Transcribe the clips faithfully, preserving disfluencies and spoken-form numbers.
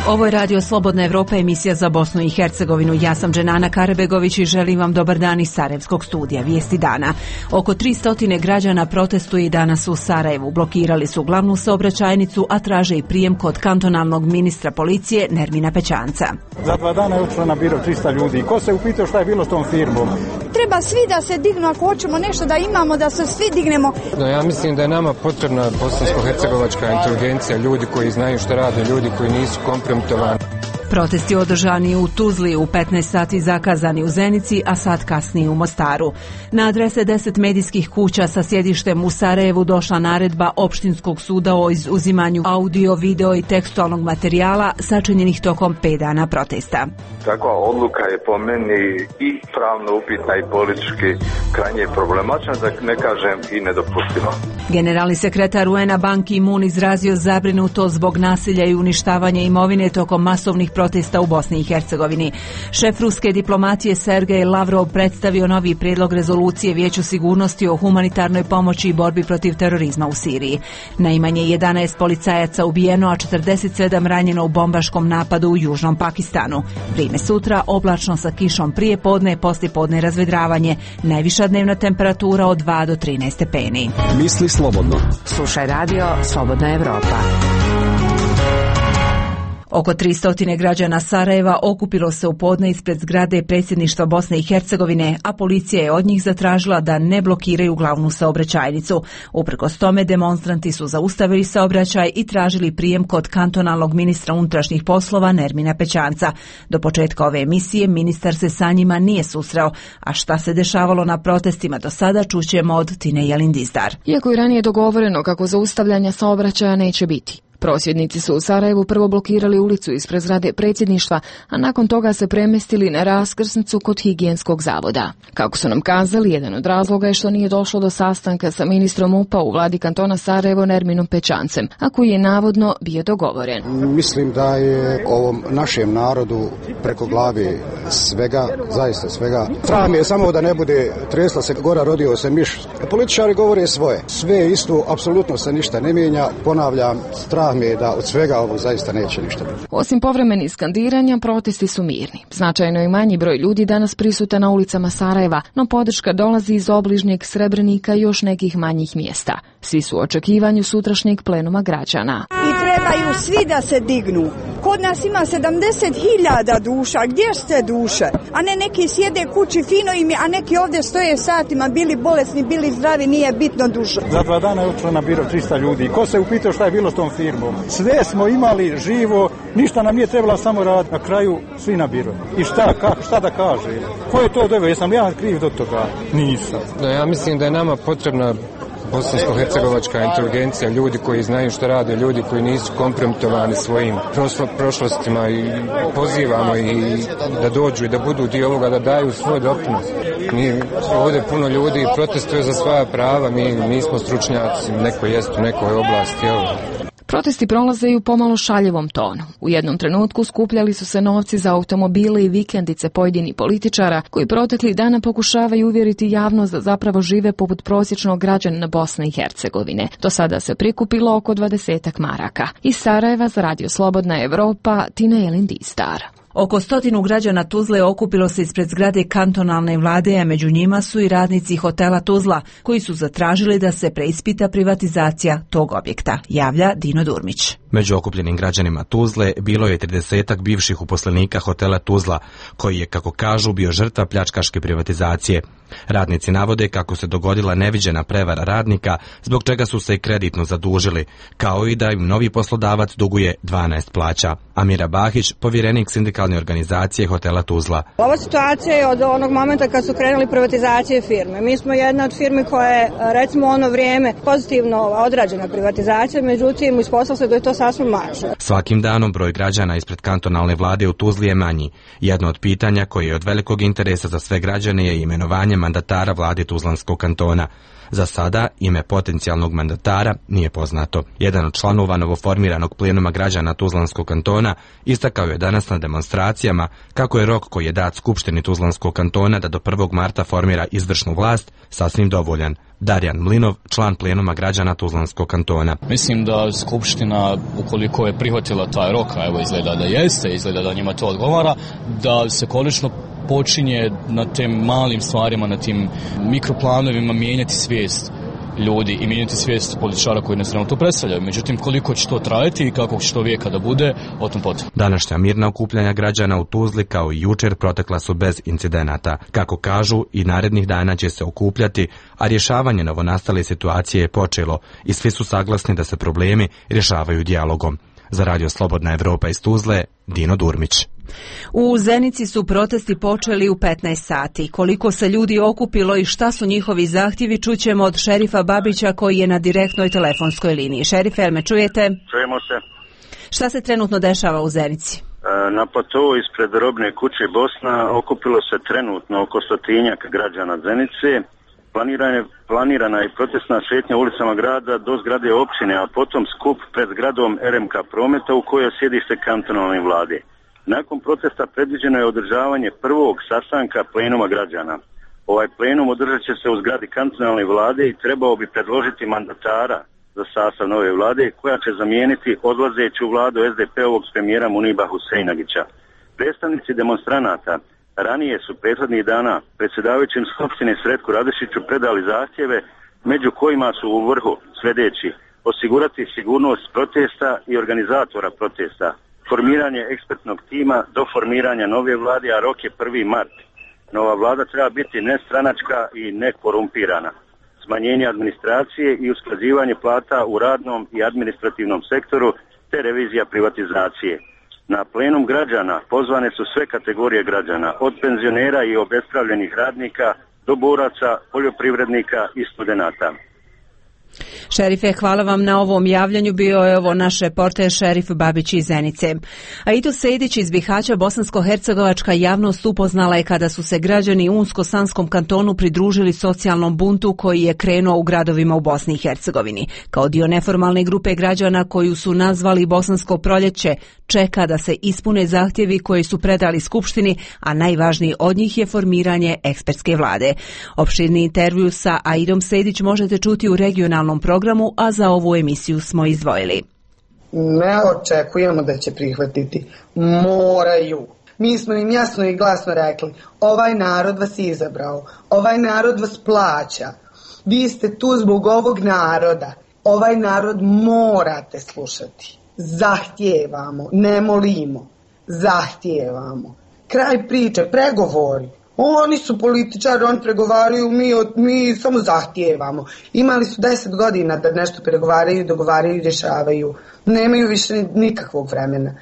Ovo je Radio Slobodna Evropa, emisija za Bosnu i Hercegovinu. Ja sam Dženana Karabegović i želim vam dobar dan iz Sarajevskog studija. Vijesti dana. Oko tristo građana protestuje i danas u Sarajevu. Blokirali su glavnu saobraćajnicu, a traže i prijem kod kantonalnog ministra policije Nermina Pećanca. Za dva dana je otišlo na biro tristo ljudi. Ko se upitao šta je bilo s tom firmom? Treba svi da se dignu ako hoćemo nešto da imamo, da se svi dignemo. No, ja mislim da je nama potrebna bosansko-hercegovačka inteligencija, ljudi koji znaju što rade, ljudi koji nisu kompromitovani. Protesti održani u Tuzli, u petnaest sati zakazani u Zenici, a sat kasnije u Mostaru. Na adrese deset medijskih kuća sa sjedištem u Sarajevu došla naredba opštinskog suda o izuzimanju audio, video i tekstualnog materijala sačinjenih tokom pet dana protesta. Takva odluka je po meni i pravno upitna i politički krajnje problematična, da ne kažem i nedopustiva. Generalni sekretar U N-a Ban Ki-moon izrazio zabrinutost zbog nasilja i uništavanja imovine tokom masovnih protesta u Bosni i Hercegovini. Šef ruske diplomacije Sergej Lavrov predstavio novi prijedlog rezolucije Vijeću sigurnosti o humanitarnoj pomoći i borbi protiv terorizma u Siriji. Najmanje jedanaest policajaca ubijeno, a četrdeset sedam ranjeno u bombaškom napadu u južnom Pakistanu. Vrijeme sutra oblačno sa kišom prije podne, poslije podne razvedravanje. Najviša dnevna temperatura od dva do trinaest stepeni. Misli slobodno. Slušaj radio Slobodna Evropa. Oko tristo građana Sarajeva okupilo se u podne ispred zgrade predsjedništva Bosne i Hercegovine, a policija je od njih zatražila da ne blokiraju glavnu saobraćajnicu. Uprkos tome demonstranti su zaustavili saobraćaj i tražili prijem kod kantonalnog ministra unutrašnjih poslova Nermina Pećanca. Do početka ove emisije ministar se sa njima nije susreo, a šta se dešavalo na protestima do sada čućemo od Tine Jelindizdar. Iako je ranije dogovoreno kako zaustavljanja saobraćaja neće biti. Prosvjednici su u Sarajevu prvo blokirali ulicu ispred zgrade predsjedništva, a nakon toga se premestili na raskrsnicu kod higijenskog zavoda. Kako su nam kazali, jedan od razloga je što nije došlo do sastanka sa ministrom U P A u vladi kantona Sarajevo Nerminom Pećancem, a koji je navodno bio dogovoren. Mislim da je ovom našem narodu preko glavi svega, zaista svega. Strah mi je samo da ne bude tresla se gora, rodio se miš. Političari govore svoje. Sve je isto, apsolutno se ništa ne mijenja. Ponavljam, strah mi je da od svega ovo zaista neće ništa biti. Osim povremenih skandiranja, protesti su mirni. Značajno je manji broj ljudi danas prisutan na ulicama Sarajeva, no podrška dolazi iz obližnjeg Srebrenika i još nekih manjih mjesta. Svi su u očekivanju sutrašnjeg plenuma građana. I trebaju svi da se dignu. Kod nas ima sedamdeset hiljada duša. Gdje ste duše? A ne neki sjede kući fino im je, a neki ovdje stoje satima, bili bolesni, bili zdravi, nije bitno duša. Za dva dana je otišlo na biro tristo ljudi. Ko se upitao šta je bilo s tom firmom? Sve smo imali živo, ništa nam nije trebalo, samo rad. Na kraju svi na biro. I šta, kako, šta da kaže? Ko je to doveo? Jesam ja kriv do toga? Nisam. No, ja mislim da je nama potrebna bosansko-hercegovačka inteligencija, ljudi koji znaju što rade, ljudi koji nisu kompromitovani svojim prošlo, prošlostima i pozivamo i da dođu i da budu dio ovoga, da daju svoj doprinos. Mi ovdje puno ljudi protestuje za svoja prava, mi nismo stručnjaci, neko jest u nekoj oblasti. Evo. Protesti prolaze i u pomalo šaljivom tonu. U jednom trenutku skupljali su se novci za automobile i vikendice pojedinih političara koji protekli dana pokušavaju uvjeriti javnost da zapravo žive poput prosječnog građanina Bosne i Hercegovine. Do sada se prikupilo oko dvadesetak maraka. Iz Sarajeva za Radio Slobodna Evropa, Tina Jelindizdar. Oko stotinu građana Tuzle okupilo se ispred zgrade kantonalne vlade, a među njima su i radnici hotela Tuzla, koji su zatražili da se preispita privatizacija tog objekta, javlja Dino Durmić. Među okupljenim građanima Tuzle bilo je tridesetak bivših uposlenika hotela Tuzla, koji je, kako kažu, bio žrtva pljačkaške privatizacije. Radnici navode kako se dogodila neviđena prevara radnika, zbog čega su se i kreditno zadužili, kao i da im novi poslodavac duguje dvanaest plaća. Amira Bahić, povjerenik sindikalne organizacije hotela Tuzla. Ova situacija je od onog momenta kad su krenuli privatizacije firme. Mi smo jedna od firmi koja je, recimo, ono vrijeme pozitivno odrađena privatizacija, međutim, ispostavilo se da je to sasvim mačno. Svakim danom broj građana ispred kantonalne vlade u Tuzli je manji. Jedno od pitanja koje je od velikog interesa za sve građane je imenovanje mandatara vlade Tuzlanskog kantona. Za sada ime potencijalnog mandatara nije poznato. Jedan od članova novoformiranog plenuma građana Tuzlanskog kantona istakao je danas na demonstracijama kako je rok koji je dat Skupštini Tuzlanskog kantona da do prvog marta formira izvršnu vlast sasvim dovoljan. Darjan Mlinov, član plenuma građana Tuzlanskog kantona. Mislim da Skupština, ukoliko je prihvatila taj rok, a evo izgleda da jeste, izgleda da njima to odgovara, da se konačno počinje na tim malim stvarima, na tim mikroplanovima mijenjati svijest ljudi i mijenjati svijest političara koji nas trenutno predstavljaju. Međutim, koliko će to trajati i kako će to vijeka da bude, o tom potom. Današnja mirna okupljanja građana u Tuzli kao i jučer protekla su bez incidenata. Kako kažu, i narednih dana će se okupljati, a rješavanje novonastale situacije je počelo i svi su saglasni da se problemi rješavaju dijalogom. Za Radio Slobodna Evropa iz Tuzle, Dino Durmić. U Zenici su protesti počeli u petnaest sati. Koliko se ljudi okupilo i šta su njihovi zahtjevi, čućemo od šerifa Babića koji je na direktnoj telefonskoj liniji. Šerife, jel me čujete? Čujemo se. Šta se trenutno dešava u Zenici? Na platou ispred robne kuće Bosna okupilo se trenutno oko stotinjak građana Zenice. Planirana, planirana je protestna šetnja ulicama grada do zgrade općine, a potom skup pred zgradom R M K Prometa u kojoj sjedi se kantonalne vlade. Nakon protesta predviđeno je održavanje prvog sastanka plenuma građana. Ovaj plenum održat će se u zgradi kantonalne vlade i trebao bi predložiti mandatara za sastav nove vlade koja će zamijeniti odlazeću vladu S D P-ovog premijera Muniba Huseinagića. Predstavnici demonstranata ranije su prethodnih dana predsjedavajućem skupštine Sretku Radešiću predali zahtjeve, među kojima su u vrhu sljedeći: osigurati sigurnost protesta i organizatora protesta, formiranje ekspertnog tima do formiranja nove vlade, a rok je prvi mart. Nova vlada treba biti nestranačka i nekorumpirana. Smanjenje administracije i usklađivanje plata u radnom i administrativnom sektoru te revizija privatizacije. Na plenum građana pozvane su sve kategorije građana, od penzionera i obespravljenih radnika do boraca, poljoprivrednika i studenata. Šerife, hvala vam na ovom javljanju. Bio je ovo naš reporter šerif Babić iz Zenice. Aidus Sejdić iz Bihaća, bosansko-hercegovačka javnost upoznala je kada su se građani u Unsko-Sanskom kantonu pridružili socijalnom buntu koji je krenuo u gradovima u Bosni i Hercegovini. Kao dio neformalne grupe građana koju su nazvali Bosansko proljeće, čeka da se ispune zahtjevi koji su predali Skupštini, a najvažniji od njih je formiranje ekspertske vlade. Opširni intervju sa Aidom Sejdić možete čuti u regionalnom programu, a za ovu emisiju smo izdvojili. Ne očekujemo da će prihvatiti, moraju. Mi smo im jasno i glasno rekli, ovaj narod vas izabrao, ovaj narod vas plaća, vi ste tu zbog ovog naroda, ovaj narod morate slušati. Zahtijevamo, ne molimo, zahtijevamo. Kraj priče, pregovori. Oni su političari, oni pregovaraju, mi, mi samo zahtijevamo. Imali su deset godina da nešto pregovaraju, dogovaraju i rješavaju. Nemaju više nikakvog vremena.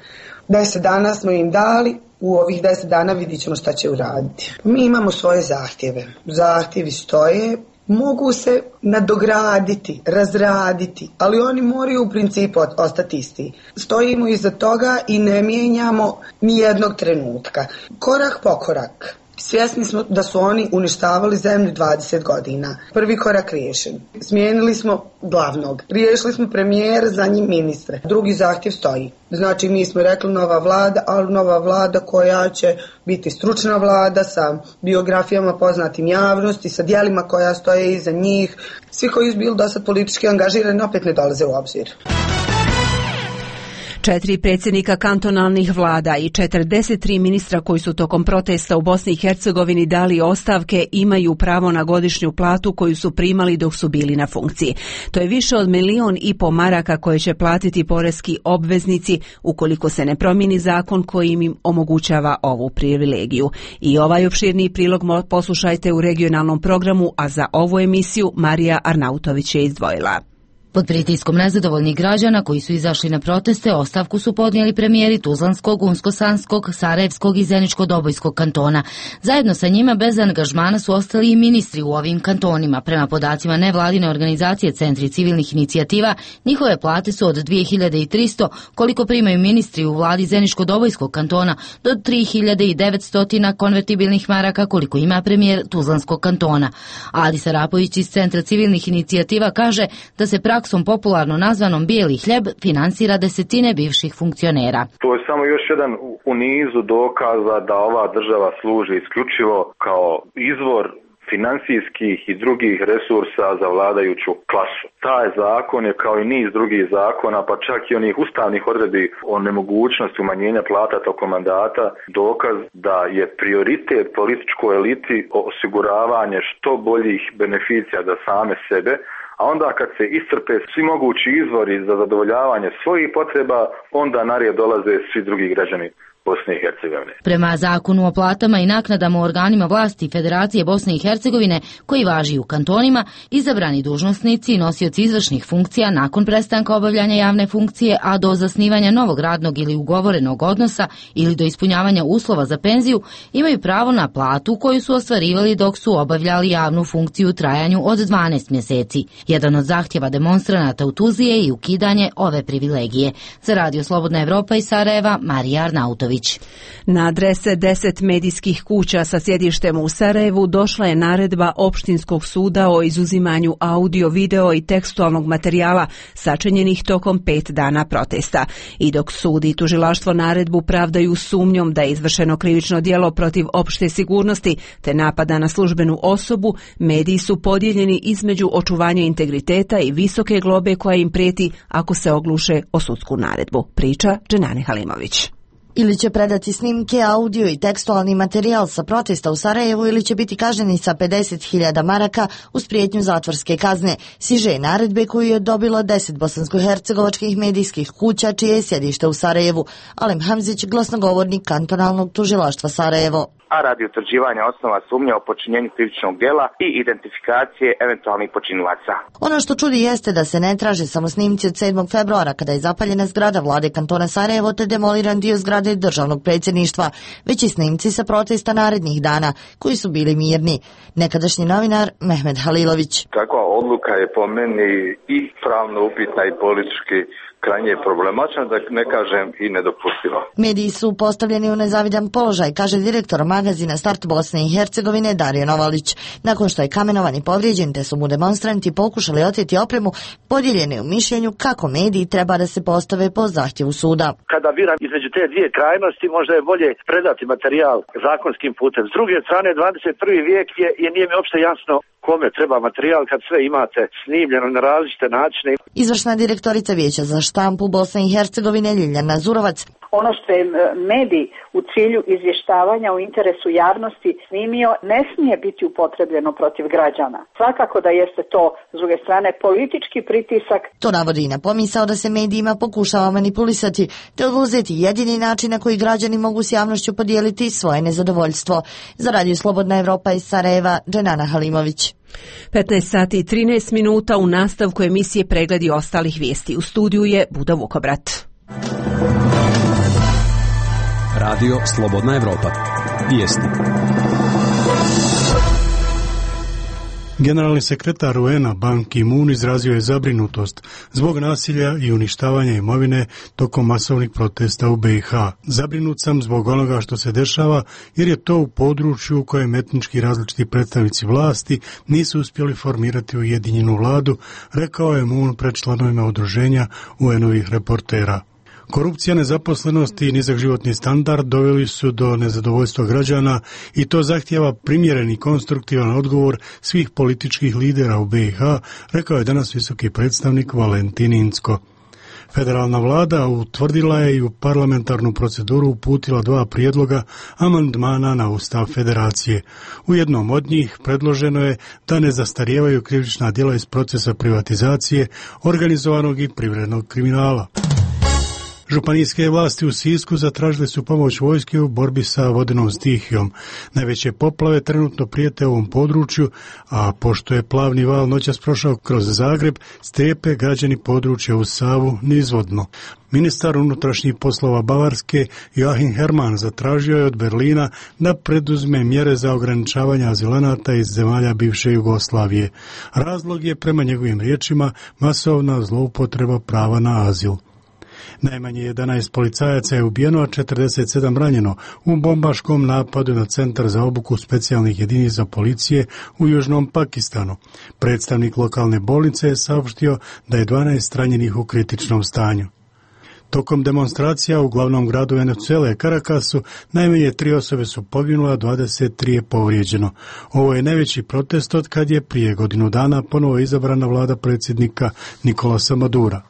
Deset dana smo im dali, u ovih deset dana vidit ćemo šta će uraditi. Mi imamo svoje zahtjeve. Zahtjevi stoje, mogu se nadograditi, razraditi, ali oni moraju u principu ostati isti. Stojimo iza toga i ne mijenjamo ni jednog trenutka. Korak po korak. Svjesni smo da su oni uništavali zemlju dvadeset godina. Prvi korak riješen. Smijenili smo glavnog. Riješili smo premijera, za njim ministre. Drugi zahtjev stoji. Znači mi smo rekli nova vlada, ali nova vlada koja će biti stručna vlada sa biografijama poznatim javnosti, sa djelima koja stoje iza njih. Svi koji su bili do sad politički angažirani opet ne dolaze u obzir. Četiri predsjednika kantonalnih vlada i četrdeset tri ministra koji su tokom protesta u Bosni i Hercegovini dali ostavke imaju pravo na godišnju platu koju su primali dok su bili na funkciji. To je više od milion i po maraka koje će platiti poreski obveznici ukoliko se ne promijeni zakon koji im omogućava ovu privilegiju. I ovaj opširni prilog poslušajte u regionalnom programu, a za ovu emisiju Marija Arnautović je izdvojila. Pod pritiskom nezadovoljnih građana koji su izašli na proteste, ostavku su podnijeli premijeri Tuzlanskog, Unsko-Sanskog, Sarajevskog i Zeničko-Dobojskog kantona. Zajedno sa njima bez angažmana su ostali i ministri u ovim kantonima. Prema podacima nevladine organizacije Centri civilnih inicijativa, njihove plate su od dvije hiljade tristo, koliko primaju ministri u vladi Zeničko-Dobojskog kantona, do tri hiljade devetsto konvertibilnih maraka koliko ima premijer Tuzlanskog kantona. Adi Sarapović iz Centra civilnih inicijativa kaže da se praksom popularno nazvanom bijeli hljeb finansira desetine bivših funkcionera. To je samo još jedan u nizu dokaza da ova država služi isključivo kao izvor finansijskih i drugih resursa za vladajuću klasu. Taj zakon je kao i niz drugih zakona, pa čak i onih ustavnih odredbi o nemogućnosti umanjenja plata tokom mandata, dokaz da je prioritet političkoj eliti osiguravanje što boljih beneficija za same sebe, a onda kad se iscrpe svi mogući izvori za zadovoljavanje svojih potreba, onda na red dolaze svi drugi građani Bosne i Hercegovine. Prema zakonu o platama i naknadama u organima vlasti Federacije Bosne i Hercegovine, koji važi u kantonima, izabrani dužnosnici i nosioci izvršnih funkcija nakon prestanka obavljanja javne funkcije, a do zasnivanja novog radnog ili ugovorenog odnosa ili do ispunjavanja uslova za penziju, imaju pravo na platu koju su ostvarivali dok su obavljali javnu funkciju u trajanju od dvanaest mjeseci. Jedan od zahtjeva demonstranata u Tuzli je i ukidanje ove privilegije. Za Radio Slobodna Evropa iz Sarajeva, Marija Arnautović. Na adrese deset medijskih kuća sa sjedištem u Sarajevu došla je naredba Opštinskog suda o izuzimanju audio, video i tekstualnog materijala sačinjenih tokom pet dana protesta. I dok sud i tužilaštvo naredbu pravdaju sumnjom da je izvršeno krivično djelo protiv opšte sigurnosti te napada na službenu osobu, mediji su podijeljeni između očuvanja integriteta i visoke globe koja im prijeti ako se ogluše o sudsku naredbu. Priča Dženane Halimović. Ili će predati snimke, audio i tekstualni materijal sa protesta u Sarajevu ili će biti kažnjeni sa pedeset hiljada maraka uz prijetnju zatvorske kazne. Siže naredbe koju je dobilo deset bosansko-hercegovačkih medijskih kuća čije je sjedište u Sarajevu. Alem Hamzić, glasnogovornik kantonalnog tužilaštva Sarajevo. A radi utvrđivanja osnova sumnje o počinjenju krivičnog djela i identifikacije eventualnih počinilaca. Ono što čudi jeste da se ne traže samo snimci od sedmog februara kada je zapaljena zgrada vlade kantona Sarajevo te demoliran dio zgrade državnog predsjedništva, već i snimci sa protesta narednih dana koji su bili mirni. Nekadašnji novinar Mehmed Halilović. Takva odluka je po meni i pravno upitna i politički krajnje problematična, da ne kažem i nedopustiva. Mediji su postavljeni u nezavidan položaj, kaže direktor magazina Start Bosne i Hercegovine Dario Novalić. Nakon što je kamenovan i povrijeđen, te su mu demonstranti pokušali oteti opremu, podijeljeni u mišljenju kako mediji treba da se postave po zahtjevu suda. Kada biram između te dvije krajnosti, možda je bolje predati materijal zakonskim putem. S druge strane, dvadeset prvi vijek je i nije mi uopšte jasno kome treba materijal kad sve imate snimljeno na različite načine. Izvršna direktorica Vijeća za štampu Bosne i Hercegovine Ljiljana Zurovac. Ono što je medij u cilju izvještavanja u interesu javnosti snimio ne smije biti upotrebljeno protiv građana. Svakako da jeste to, s druge strane, politički pritisak. To navodi i na pomisao da se medijima pokušava manipulisati te oduzeti jedini način na koji građani mogu s javnošću podijeliti svoje nezadovoljstvo. Za Radio Slobodna Evropa iz Sarajeva, Dženana Halimović. petnaest sati i trinaest minuta u nastavku emisije Pregledi ostalih vijesti. U studiju je Buda Vukobrat. Radio Slobodna Evropa. Vijesti. Generalni sekretar U N-a Ban Ki-moon izrazio je zabrinutost zbog nasilja i uništavanja imovine tokom masovnih protesta u B i H. Zabrinut sam zbog onoga što se dešava jer je to u području u kojem etnički različiti predstavnici vlasti nisu uspjeli formirati ujedinjenu vladu, rekao je Moon pred članovima udruženja U N-ovih reportera. Korupcija, nezaposlenost i nizak životni standard doveli su do nezadovoljstva građana i to zahtijeva primjeren i konstruktivan odgovor svih političkih lidera u B i H, rekao je danas visoki predstavnik Valentin Incko. Federalna vlada utvrdila je i u parlamentarnu proceduru uputila dva prijedloga amandmana na Ustav Federacije. U jednom od njih predloženo je da ne zastarijevaju krivična djela iz procesa privatizacije, organizovanog i privrednog kriminala. Županijske vlasti u Sisku zatražile su pomoć vojske u borbi sa vodenom stihijom. Najveće poplave trenutno prijete ovom području, a pošto je plavni val noćas prošao kroz Zagreb, strepe građani područja uz Savu nizvodno. Ministar unutrašnjih poslova Bavarske Joachim Herrmann zatražio je od Berlina da preduzme mjere za ograničavanje azilanata iz zemalja bivše Jugoslavije. Razlog je, prema njegovim riječima, masovna zloupotreba prava na azil. Najmanje jedanaest policajaca je ubijeno, a četrdeset sedam ranjeno u bombaškom napadu na centar za obuku specijalnih jedinica policije u Južnom Pakistanu. Predstavnik lokalne bolnice je saopštio da je dvanaest ranjenih u kritičnom stanju. Tokom demonstracija u glavnom gradu Venezuele, Caracasu, najmanje tri osobe su poginule, a dvadeset tri je povrijeđeno. Ovo je najveći protest od kad je prije godinu dana ponovo izabrana vlada predsjednika Nicolasa Madura.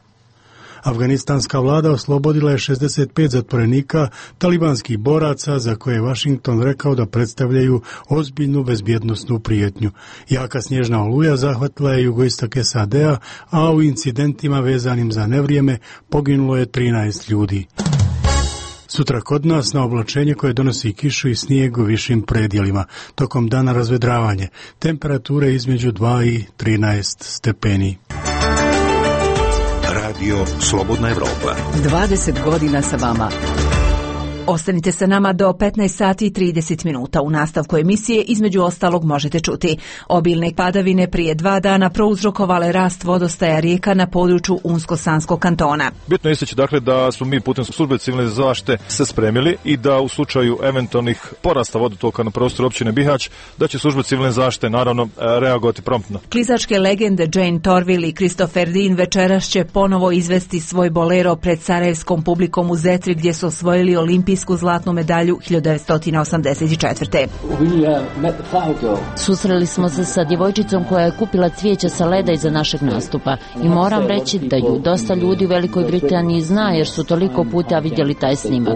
Afganistanska vlada oslobodila je šezdeset pet zatvorenika talibanskih boraca za koje je Washington rekao da predstavljaju ozbiljnu bezbjednosnu prijetnju. Jaka snježna oluja zahvatila je jugoistok S A D-a, a u incidentima vezanim za nevrijeme poginulo je trinaest ljudi. Sutra kod nas na oblačenje koje donosi kišu i snijeg u višim predjelima. Tokom dana razvedravanje. Temperature između dva i trinaest stepeni. Radio Slobodna Evropa. dvadeset godina sa vama. Ostanite sa nama do petnaest sati i trideset minuta. U nastavku emisije između ostalog možete čuti: obilne padavine prije dva dana prouzrokovale rast vodostaja rijeka na području Unsko-Sanskog kantona. Bitno je istaći dakle da smo mi putem službe civilne zaštite se spremili i da u slučaju eventualnih porasta vodotoka na prostoru općine Bihać da će služba civilne zaštite naravno reagovati promptno. Klizačke legende Jane Torville i Christopher Dean večeras će ponovo izvesti svoj bolero pred sarajevskom publikom u Zetri gdje su osvojili olimpijsku zlatnu medalju hiljadu devetsto osamdeset četvrte. Susreli smo se sa djevojčicom koja je kupila cvijeće sa leda iza našeg nastupa i moram reći da ju dosta ljudi u Velikoj Britaniji zna jer su toliko puta vidjeli taj snimak.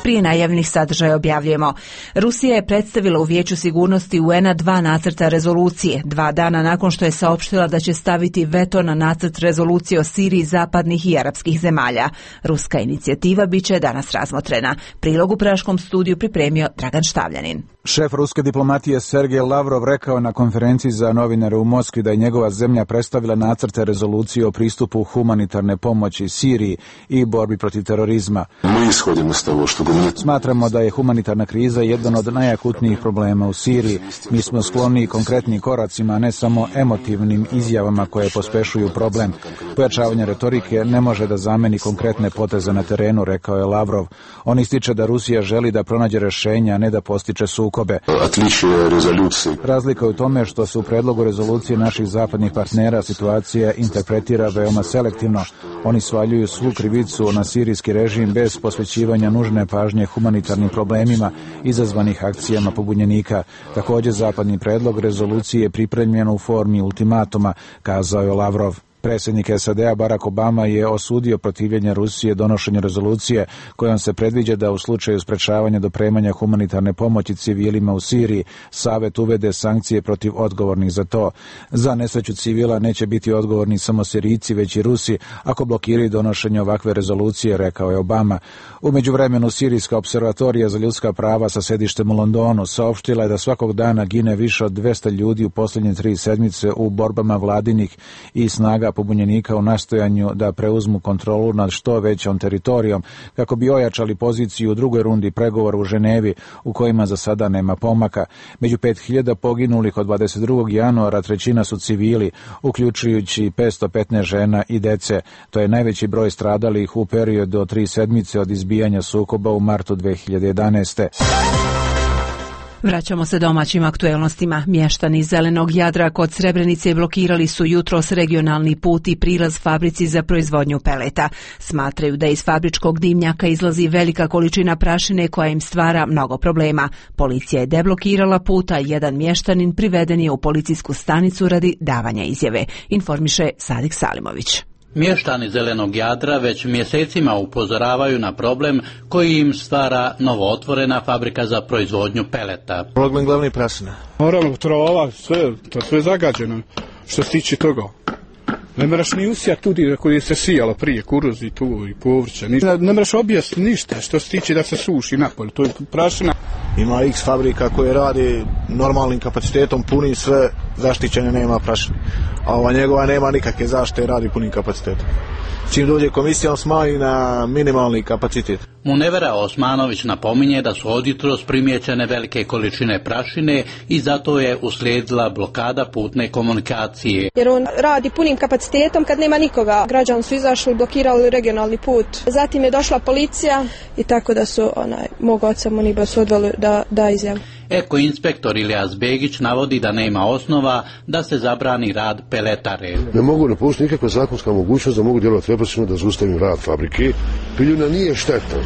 Prije najavljenih sadržaja objavljujemo. Rusija je predstavila u Vijeću sigurnosti U N-a dva nacrta rezolucije, dva dana nakon što je saopštila da će staviti veto na nacrt rezolucije o Siriji zapadnih i arapskih zemalja. Ruska inicijativa biće danas razmotrena. Prilog u Praškom studiju pripremio Dragan Štavljanin. Šef ruske diplomatije Sergej Lavrov rekao na konferenciji za novinare u Moskvi da je njegova zemlja predstavila nacrte rezolucije o pristupu humanitarne pomoći Siriji i borbi protiv terorizma. Smatramo da je humanitarna kriza jedan od najakutnijih problema u Siriji. Mi smo skloni konkretnim koracima, a ne samo emotivnim izjavama koje pospešuju problem. Pojačavanje retorike ne može da zameni konkretne poteze na terenu, rekao je Lavrov. On ističe da Rusija želi da pronađe rješenja, a ne da postiče sukobe. Razlika je u tome što se u predlogu rezolucije naših zapadnih partnera situacija interpretira veoma selektivno. Oni svaljuju svu krivicu na sirijski režim bez posvećivanja nužne pažnje humanitarnim problemima izazvanih akcijama pobunjenika. Također zapadni predlog rezolucije je pripremljen u formi ultimatuma, kazao je Lavrov. Predsjednik S A D-a Barack Obama je osudio protivljenje Rusije donošenju rezolucije kojom se predviđa da u slučaju sprečavanja dopremanja humanitarne pomoći civilima u Siriji Savet uvede sankcije protiv odgovornih za to. Za nesreću civila neće biti odgovorni samo Sirijci već i Rusi ako blokiraju donošenje ovakve rezolucije, rekao je Obama. U međuvremenu Sirijska observatorija za ljudska prava sa sedištem u Londonu saopštila je da svakog dana gine više od dvesta ljudi u posljednje tri sedmice u borbama vladinih i snaga pobunjenika u nastojanju da preuzmu kontrolu nad što većom teritorijom kako bi ojačali poziciju u drugoj rundi pregovora u Ženevi u kojima za sada nema pomaka. Među pet hiljada poginulih od dvadeset drugog januara trećina su civili, uključujući petsto petnaest žena i dece. To je najveći broj stradalih u periodu od tri sedmice od izbijanja sukoba u martu dve hiljade jedanaeste. Vraćamo se domaćim aktuelnostima. Mještani Zelenog Jadra kod Srebrenice blokirali su jutros regionalni put i prilaz fabrici za proizvodnju peleta. Smatraju da iz fabričkog dimnjaka izlazi velika količina prašine koja im stvara mnogo problema. Policija je deblokirala put, a jedan mještanin priveden je u policijsku stanicu radi davanja izjave, informiše Sadik Salimović. Mještani Zelenog Jadra već mjesecima upozoravaju na problem koji im stvara novootvorena fabrika za proizvodnju peleta. Problem glavni prašina. Moramo trova, sve, to sve zagađeno što se tiče toga. Ne moraš ni usijati tudi koji se sijalo prije, kuruz i tu i povrće. Ne, ne moraš objasniti ništa što se tiče da se suši napolje, to je prašina. Ima X fabrika koje radi normalnim kapacitetom, puni sve, zaštićene, nema prašine. A ova njegova nema nikakve zaštite, radi punim kapacitetom. Čim dođe komisija, on smanji na minimalni kapacitet. Munevera Osmanović napominje da su od jutros primijećene velike količine prašine i zato je uslijedila blokada putne komunikacije. Jer on radi punim kapacitetom kad nema nikoga. Građani su izašli, blokirali regionalni put. Zatim je došla policija i tako da su onaj, mog oca Muniba su odveli da, da izjavu. Eko-inspektor Ilijas Begić navodi da nema osnova da se zabrani rad peletare. Ne mogu ne postoji nikakva zakonska mogućnost da mogu djelovati represivno da zaustavim rad fabrike. Piljuna nije štetna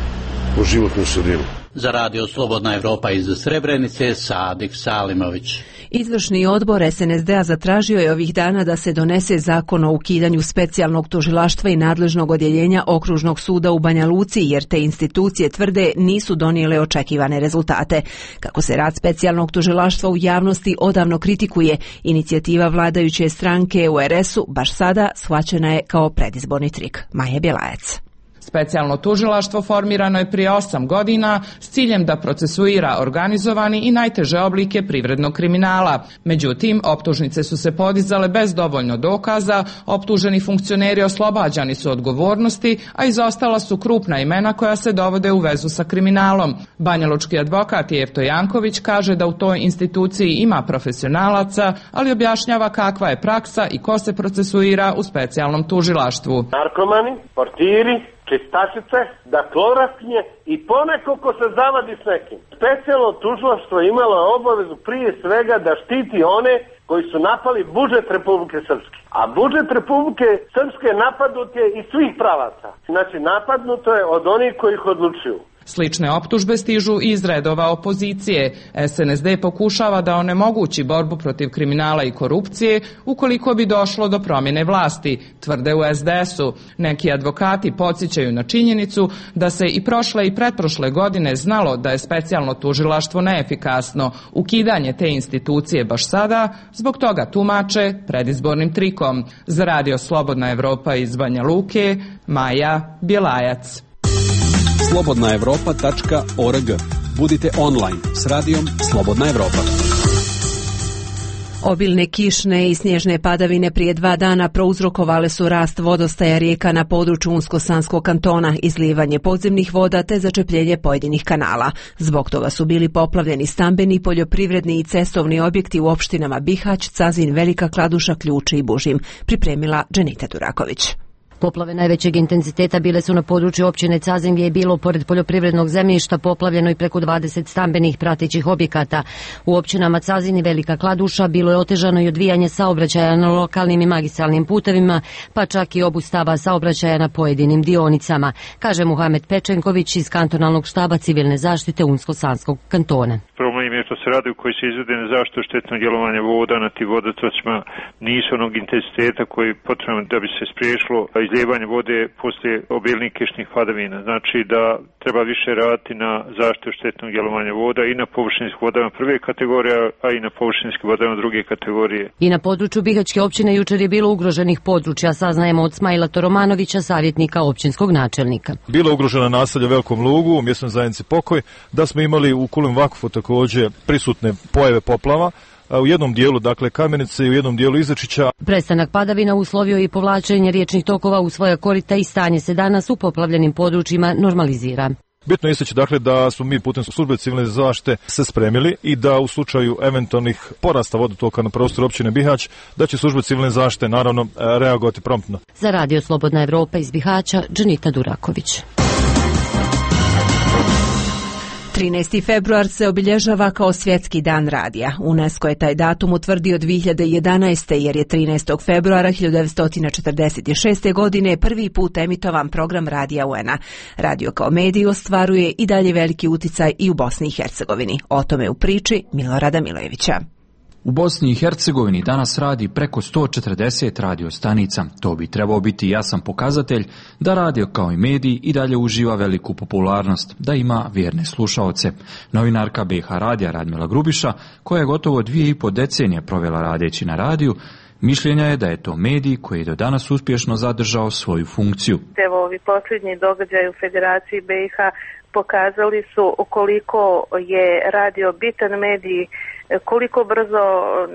po životnu sredinu. Za radio Slobodna Evropa iz Srebrenice, Sadik Salimović. Izvršni odbor S N S D-a zatražio je ovih dana da se donese zakon o ukidanju specijalnog tužilaštva i nadležnog odjeljenja Okružnog suda u Banja Luci, jer te institucije tvrde nisu donijele očekivane rezultate. Kako se rad specijalnog tužilaštva u javnosti odavno kritikuje, inicijativa vladajuće stranke U R S-u baš sada shvaćena je kao predizborni trik. Maja Bjelajac. Specijalno tužilaštvo formirano je prije osam godina s ciljem da procesuira organizovani i najteže oblike privrednog kriminala. Međutim, optužnice su se podizale bez dovoljno dokaza, optuženi funkcioneri oslobađani su odgovornosti, a izostala su krupna imena koja se dovode u vezu sa kriminalom. Banjalučki advokat Jefto Janković kaže da u toj instituciji ima profesionalaca, ali objašnjava kakva je praksa i ko se procesuira u specijalnom tužilaštvu. Narkomani, portiri, čistačice, daklorakinje i poneko ko se zavadi s nekim. Specijalno tužilaštvo imalo obavezu prije svega da štiti one koji su napali budžet Republike Srpske. A budžet Republike Srpske napadnut je iz svih pravaca. Znači napadnuto je od onih koji ih odlučuju. Slične optužbe stižu iz redova opozicije. S N S D pokušava da onemogući borbu protiv kriminala i korupcije ukoliko bi došlo do promjene vlasti, tvrde u S D S-u. Neki advokati podsjećaju na činjenicu da se i prošle i pretprošle godine znalo da je specijalno tužilaštvo neefikasno. Ukidanje te institucije baš sada zbog toga tumače predizbornim trikom. Za radio Slobodna Evropa iz Banja Luke, Maja Bjelajac. slobodna evropa tačka org. Budite online s radijom Slobodna Evropa. Obilne kišne i snježne padavine prije dva dana prouzrokovale su rast vodostaja rijeka na području Unsko-Sanskog kantona, izlijevanje podzemnih voda te začepljenje pojedinih kanala. Zbog toga su bili poplavljeni stambeni, poljoprivredni i cestovni objekti u opštinama Bihać, Cazin, Velika Kladuša, Ključe i Bužim. Pripremila Dženita Duraković. Poplave najvećeg intenziteta bile su na području općine Cazin, gdje je bilo pored poljoprivrednog zemljišta poplavljeno i preko dvadeset stambenih pratećih objekata. U općinama Cazin i Velika Kladuša bilo je otežano i odvijanje saobraćaja na lokalnim i magistralnim putevima, pa čak i obustava saobraćaja na pojedinim dionicama, kaže Muhamed Pečenković iz kantonalnog štaba civilne zaštite Unsko-Sanskog kantona. Problem je što se radovi koji se izvode na zaštitu štetnog djelovanja voda na tim vodotocima nisu onog intenziteta koji je potrebno da bi se spriječilo izlijevanje vode poslije obilnih kišnih padavina. Znači da treba više raditi na zaštitu štetnog djelovanja voda i na površinskim vodama prve kategorije, a i na površinskim vodama druge kategorije. I na području Bihaćke općine jučer je bilo ugroženih područja, saznajemo od Smajla Toromanovića, savjetnika općinskog načelnika. Bilo ugrožena naselja Velikom Lugu, u mjesnoj zajednici Pokoj, da smo imali u Kulim Vakufu također prisutne pojave poplava, u jednom dijelu, dakle, Kamenice i u jednom dijelu Izačića. Prestanak padavina uslovio i povlačenje riječnih tokova u svoja korita i stanje se danas u poplavljenim područjima normalizira. Bitno je istaći, dakle, da smo mi putem službe civilne zaštite se spremili i da u slučaju eventualnih porasta vodotoka na prostoru općine Bihać, da će službe civilne zaštite naravno reagovati promptno. Za radio Slobodna Evropa iz Bihaća, Dženita Duraković. trinaesti februar se obilježava kao svjetski dan radija. UNESCO je taj datum utvrdio dvije hiljade jedanaeste. jer je trinaestog februara hiljadu devetsto četrdeset šeste. godine prvi put emitovan program radija U N-a. Radio kao medij ostvaruje i dalje veliki uticaj i u Bosni i Hercegovini. O tome u priči Milorada Milojevića. U Bosni i Hercegovini danas radi preko sto četrdeset radio stanica. To bi trebao biti jasan pokazatelj da radio kao i medij i dalje uživa veliku popularnost, da ima vjerne slušaoce. Novinarka B H radija Radmila Grubiša, koja je gotovo dvije i po decenije provela radeći na radiju, Mišljenja je da je to medij koji je do danas uspješno zadržao svoju funkciju. Evo, ovi posljednji događaji u Federaciji B i H pokazali su koliko je radio bitan medij, koliko brzo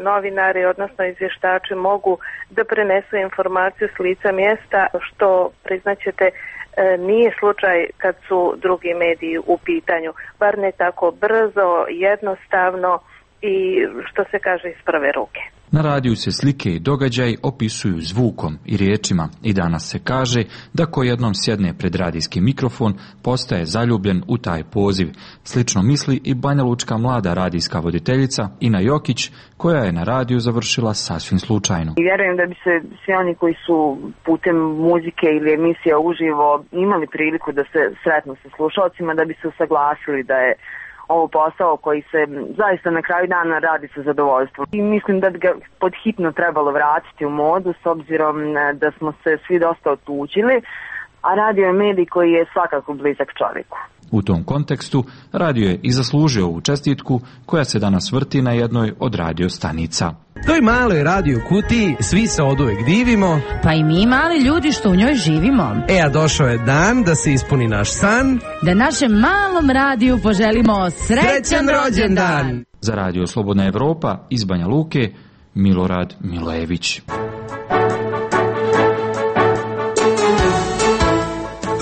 novinari, odnosno izvještači, mogu da prenesu informaciju s lica mjesta, što priznaćete nije slučaj kad su drugi mediji u pitanju. Bar ne tako brzo, jednostavno i što se kaže iz prve ruke. Na radiju se slike i događaj opisuju zvukom i riječima i danas se kaže da ko jednom sjedne pred radijski mikrofon postaje zaljubljen u taj poziv. Slično misli i banjalučka mlada radijska voditeljica Ina Jokić, koja je na radiju završila sasvim slučajno. I vjerujem da bi se svi oni koji su putem muzike ili emisija uživo imali priliku da se sretnu sa slušalcima, da bi se usaglasili da je ovo posao koji se zaista na kraju dana radi sa zadovoljstvom. I mislim da bi ga podhitno trebalo vratiti u modu s obzirom da smo se svi dosta otuđili, a radio je medij koji je svakako blizak čovjeku. U tom kontekstu radio je i zaslužio ovu čestitku koja se danas vrti na jednoj od radio stanica. Toj maloj radio kutiji svi se oduvek divimo. Pa i mi mali ljudi što u njoj živimo. E, a došao je dan da se ispuni naš san. Da našem malom radiju poželimo srećan, srećan rođendan. Za Radio Slobodna Evropa iz Banja Luke, Milorad Milojević.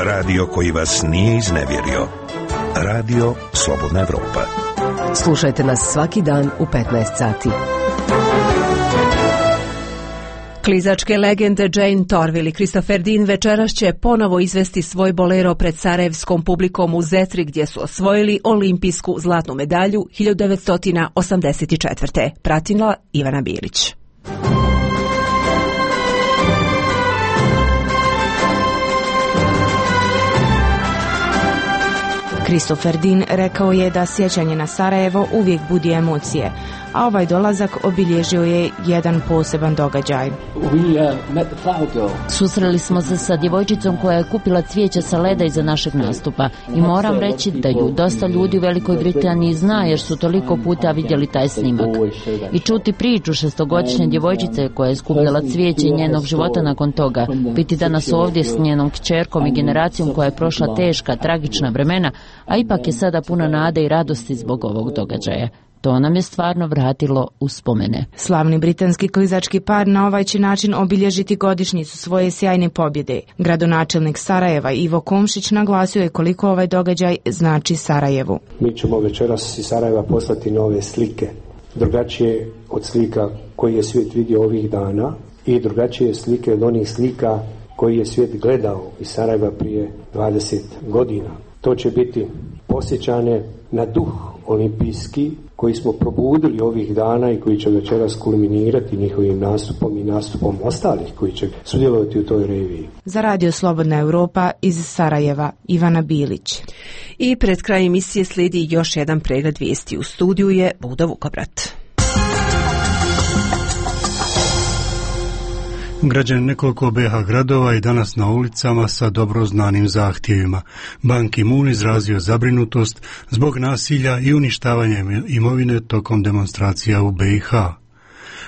Radio koji vas nije iznevjerio. Radio Slobodna Evropa. Slušajte nas svaki dan u petnaest sati. Klizačke legende Jane Torvill i Christopher Dean večeras će ponovo izvesti svoj bolero pred sarajevskom publikom u Zetri gdje su osvojili olimpijsku zlatnu medalju hiljadu devetsto osamdeset četvrte. Pratila Ivana Bilić. Christopher Dean rekao je da sjećanje na Sarajevo uvijek budi emocije, a ovaj dolazak obilježio je jedan poseban događaj. Susreli smo se sa djevojčicom koja je kupila cvijeće sa leda iza našeg nastupa i moram reći da ju dosta ljudi u Velikoj Britaniji zna jer su toliko puta vidjeli taj snimak. I čuti priču šestogodišnje djevojčice koja je skupljala cvijeće i njenog života nakon toga, biti danas ovdje s njenom kćerkom i generacijom koja je prošla teška, tragična vremena, a ipak je sada puna nade i radosti zbog ovog događaja. To nam je stvarno vratilo uspomene. Slavni britanski klizački par na ovaj će način obilježiti godišnjicu svoje sjajne pobjede. Gradonačelnik Sarajeva Ivo Komšić naglasio je koliko ovaj događaj znači Sarajevu. Mi ćemo večeras iz Sarajeva poslati nove slike, drugačije od slika koji je svijet vidio ovih dana i drugačije slike od onih slika koji je svijet gledao iz Sarajeva prije dvadeset godina. To će biti posjećane na duh olimpijski koji smo probudili ovih dana i koji će večeras kulminirati njihovim nastupom i nastupom ostalih koji će sudjelovati u toj reviji. Za Radio Slobodna Evropa iz Sarajeva, Ivana Bilić. I pred kraj emisije slijedi još jedan pregled vijesti. U studiju je Buda Vukobrat. Građani nekoliko B iH gradova i danas na ulicama sa dobro znanim zahtjevima. Ban Ki-moon izrazio zabrinutost zbog nasilja i uništavanja imovine tokom demonstracija u B iH.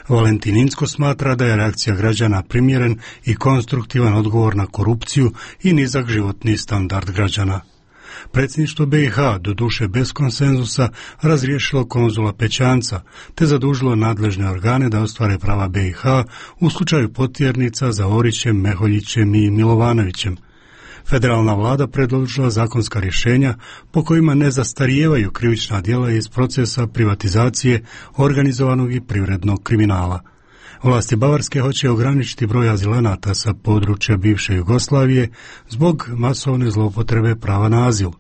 Valentin Inzko smatra da je reakcija građana primjeren i konstruktivan odgovor na korupciju i nizak životni standard građana. Predsjedništvo B iH, doduše bez konsenzusa, razriješilo konzula Pećanca, te zadužilo nadležne organe da ostvare prava B iH u slučaju potjernica za Orićem, Meholjićem i Milovanovićem. Federalna vlada predložila zakonska rješenja po kojima ne zastarijevaju krivična djela iz procesa privatizacije organizovanog i privrednog kriminala. Vlasti Bavarske hoće ograničiti broj azilanata sa područja bivše Jugoslavije zbog masovne zloupotrebe prava na azil.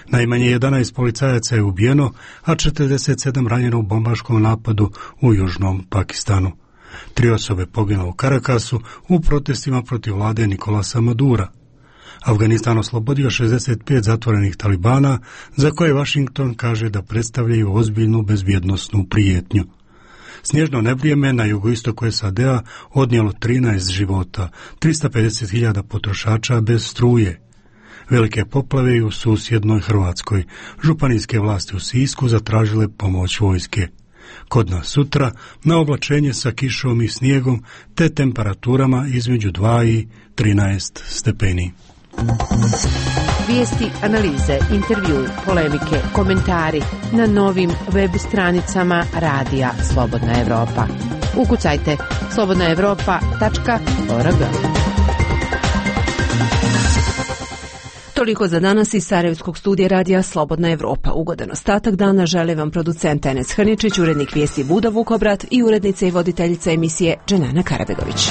Najmanje jedanaest policajaca je ubijeno, a četrdeset sedam ranjeno u bombaškom napadu u južnom Pakistanu. Tri osobe poginulo u Karakasu u protestima protiv vlade Nikolasa Madura. Afganistan oslobodio šezdeset pet zatvorenih talibana, za koje Washington kaže da predstavljaju ozbiljnu bezbjednosnu prijetnju. Snježno nevrijeme na jugoistoku S A D-a odnijelo trinaest života, tristo pedeset hiljada potrošača bez struje. Velike poplave i u susjednoj Hrvatskoj. Županijske vlasti u Sisku zatražile pomoć vojske. Kod nas sutra na oblačenje sa kišom i snijegom te temperaturama između dva i trinaest stepeni. Vijesti, analize, intervju, polemike, komentari na novim web stranicama Radija Slobodna Evropa. Ukucajte slobodna evropa tačka org. Toliko za danas iz Sarajevskog studija Radija Slobodna Evropa. Ugodan ostatak dana žele vam producent Enes Hrničić, urednik vijesti Buda Vukobrat i urednica i voditeljica emisije Dženana Karabegović.